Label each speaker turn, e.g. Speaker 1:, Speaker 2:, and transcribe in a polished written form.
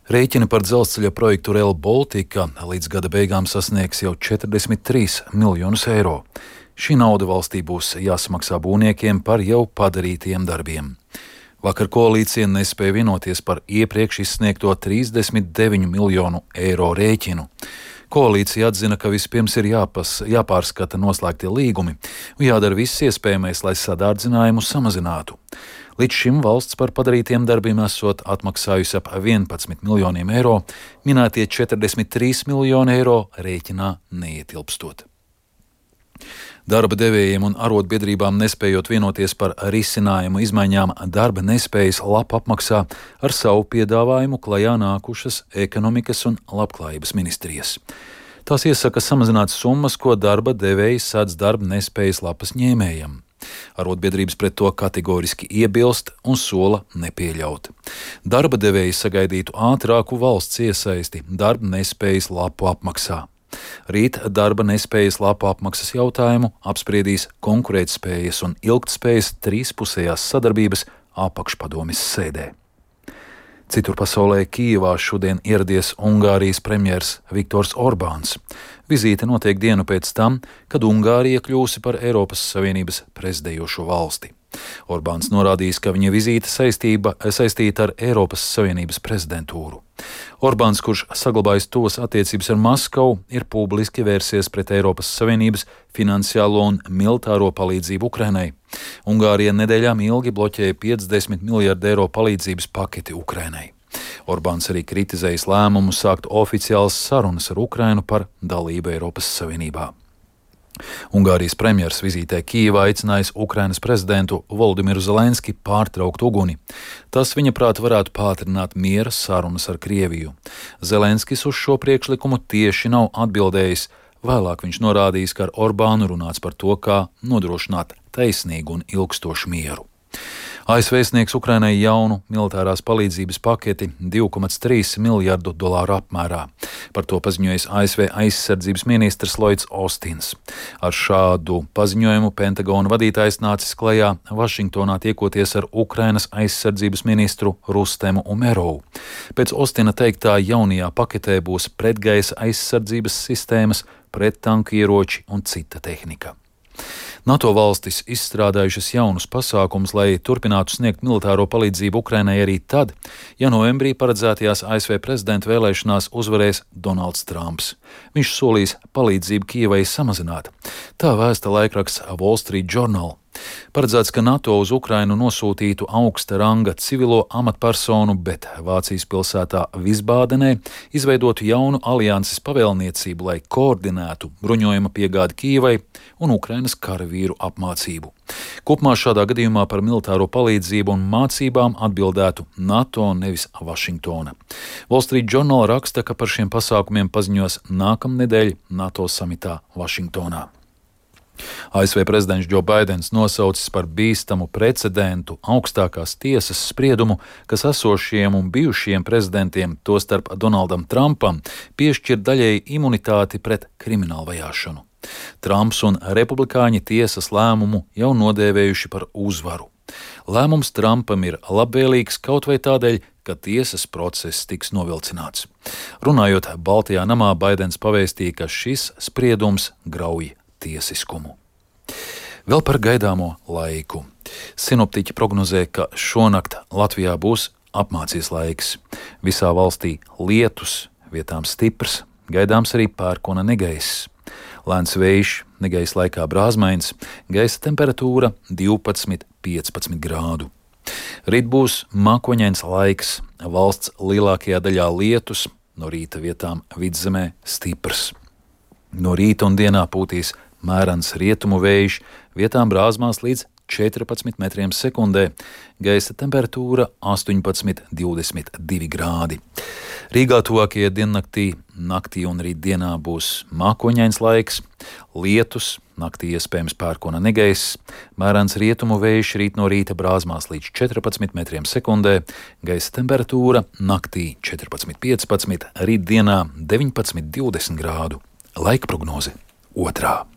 Speaker 1: Rēķini par dzelzceļa projektu Rail Baltica līdz gada beigām sasniegs jau 43 miljonus eiro. Šī nauda valstī būs jāsamaksā būvniekiem par jau padarītiem darbiem. Vakar koalīcija nespēja vienoties par iepriekš izsniegto 39 miljonu eiro rēķinu. Koalīcija atzina, ka vispirms ir jāpārskata noslēgtie līgumi un jādara viss iespējamais, lai sadārdzinājumu samazinātu. Līdz šim valsts par padarītiem darbiem esot atmaksājusi ap 11 miljoniem eiro, minētie 43 miljoni eiro rēķinā neietilpstot. Darba devējiem un arotbiedrībām nespējot vienoties par risinājumu izmaiņām darba nespējas lapu apmaksā ar savu piedāvājumu klajā nākušas ekonomikas un labklājības ministrijas. Tās iesaka samazināt summas, ko darba devēji sēdz darba nespējas lapas ņēmējam. Arotbiedrības pret to kategoriski iebilst un sola nepieļaut. Darba devēji sagaidītu ātrāku valsts iesaisti darba nespējas lapu apmaksā. Rīt darba nespējas lapu apmaksas jautājumu apspriedīs konkurētspējas un ilgtspējas trīspusējās sadarbības apakšpadomes sēdē. Citur pasaulē Kijevā šodien ieradies Ungārijas premjers Viktors Orbāns. Vizīte notiek dienu pēc tam, kad Ungārija kļūsi par Eiropas Savienības prezidējošo valsti. Orbāns norādījis, ka viņa vizīte saistīta ar Eiropas Savienības prezidentūru. Orbāns, kurš saglabājis tuvas attiecības ar Maskavu, ir publiski vērsies pret Eiropas Savienības finansiālo un militāro palīdzību Ukrainai. Ungārija nedēļām ilgi bloķēja 50 miljardu eiro palīdzības paketi Ukrainai. Orbāns arī kritizējis lēmumu sākt oficiālas sarunas ar Ukrainu par dalību Eiropas Savienībā. Ungārijas premjers vizītē Kijevā aicinājis Ukrainas prezidentu Volodimiru Zelenski pārtraukt uguni. Tas, viņa prāt, varētu pātrināt miera sarunas ar Krieviju. Zelenskis uz šo priekšlikumu tieši nav atbildējis. Vēlāk viņš norādījis, ka ar Orbānu runāts par to, kā nodrošināt taisnīgu un ilgstošu mieru. ASV sniegs Ukrainai jaunu militārās palīdzības paketi 2,3 miljardu dolāru apmērā. Par to paziņojis ASV aizsardzības ministrs Lloyds Austins. Ar šādu paziņojumu Pentagona vadītājs nācis klajā Vašingtonā tiekoties ar Ukrainas aizsardzības ministru Rustemu Umerovu. Pēc Austina teiktā jaunajā paketē būs pretgaisa aizsardzības sistēmas, prettanku ieroči un cita tehnika. NATO valstis izstrādājušas jaunus pasākumus, lai turpinātu sniegt militāro palīdzību Ukrainai arī tad, ja novembrī paredzētajās ASV prezidenta vēlēšanās uzvarēs Donalds Trumps. Viņš solīs palīdzību Kijevai samazināt. Tā vēsta laikraksts Wall Street Journal. Paredzēts, ka NATO uz Ukrainu nosūtītu augsta ranga civilo amatpersonu, bet Vācijas pilsētā Visbādenē izveidotu jaunu alianses pavēlniecību, lai koordinētu bruņojuma piegādi Kijevai un Ukrainas karavīru apmācību. Kopumā šādā gadījumā par militāro palīdzību un mācībām atbildētu NATO, nevis Vašingtona. Wall Street Journal raksta, ka par šiem pasākumiem paziņos nākamnedēļ NATO samitā Vašingtonā. ASV prezidents Joe Baidens nosaucis par bīstamu precedentu augstākās tiesas spriedumu, kas esošiem un bijušiem prezidentiem, tostarp Donaldam Trumpam, piešķir daļēji imunitāti pret kriminālu vajāšanu. Trumps un republikāņi tiesas lēmumu jau nodēvējuši par uzvaru. Lēmums Trumpam ir labvēlīgs kaut vai tādēļ, ka tiesas process tiks novilcināts. Runājot Baltajā namā, Baidens pavēstīja, ka šis spriedums grauj tiesiskumu. Vēl par gaidāmo laiku. Sinoptiķi prognozē, ka šonakt Latvijā būs apmācies laiks. Visā valstī lietus, vietām stiprs, gaidāms arī pērkona negaiss. Lēns vējš, negaisa laikā brāzmains, gaisa temperatūra 12–15 grādu. Rīt būs mākoņains laiks, valsts lielākajā daļā lietus, no rīta vietām vidzemē stiprs. No rīta un dienā pūtīs mērens rietumu vējš, vietām brāzmās līdz 14 metriem sekundē, gaisa temperatūra 18–22 grādi. Rīgā tuvākajā naktī un rītdienā būs mākoņains laiks, lietus, naktī iespējams pērkona negaiss, mērens rietumu vējš, rīt no rīta brāzmās līdz 14 metriem sekundē, gaisa temperatūra naktī 14–15, rītdienā 19–20 grādu. Laika prognoze 2.